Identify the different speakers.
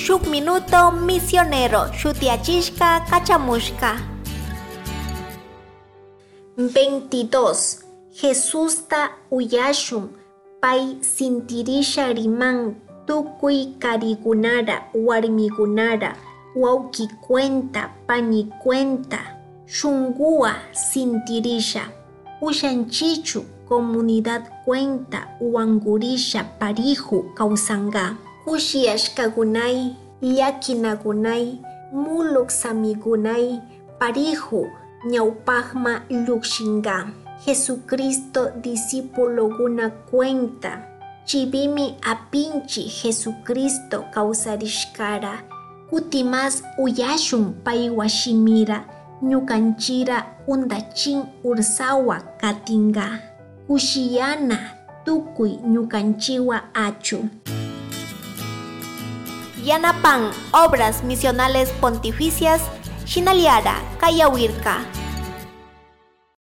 Speaker 1: Shuk Minuto Misionero shutiachishka kachamushka. 22. Jesusta uyashun pay sintirisha riman tukuy karigunara warmigunara wawki cuenta pani cuenta shunguwa sintirisha ushanchichu comunidad cuenta wangurisha pariju kawsanga kushiyashkagunay llakinagunay muluk samigunay pariju ñawpajma llukshinga Jesucristo discipuloguna cuenta chivimi apinchi Jesucristo kawsarishkara kutimas uyashun paywa shimira ñukanchira undachin ursawa katinga kushiyana tukuy ñukanchiwa achu. Yanapan Obras Misionales Pontificias Shinaliara Kayawirka.